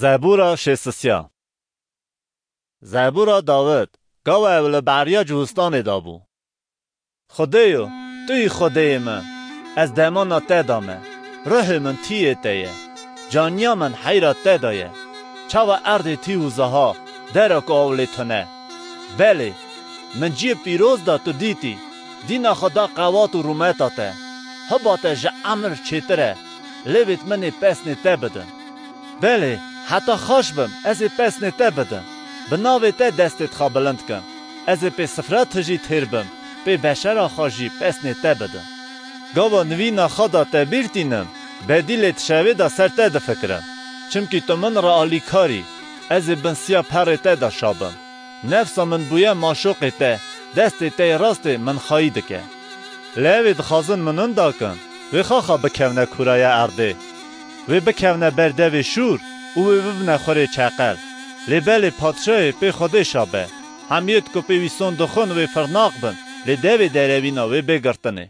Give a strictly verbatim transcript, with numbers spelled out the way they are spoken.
Zebûra şêst û sê. Zebûra Dawid, gava ew li beriya Cihûstanê de bû. Xwedêyo, tu yî Xwedêyê min, ez demana te de me, ruhê min tiyê te ye, caniya min heyra te de ye. Çawa erdê tî û ziha, dera ku aw lê tune. Belê, min ciyê pîroz de tu dîtî, dîna xwe da qewat û rûmeta te. Hiba te ji emir çêtir e, lêvêt min ê pesnê te bidin. Belê, heta xaş bim, ez ê pesnê te bidim. Bi navê te destê xwe bilind kim. Ez ê pê sifra tijî têr bim, pê beşera xwe jî pesnê te bidim. Gava nivîna xwe de te bîr tînim, bedîlê di şevê de ser te difikirim. Çimkî tu min re alîkar î, ez ê bin siya perê te de şa bim. Nefsa min bûye maşoqê te, destê te yê rastê min xayî dike. Lê ew ê dixwazin min winda kin, wê xaxa bikevne kûraya erdê. Wê bikevne ber devê şûr û wê bibine xurê çeqel. Lê belê padşahê pê Xwedê şa be. Hemiyêt ku pê wî son dixwin wê firnaq bin, lê devê derewîna wê bê girtinê.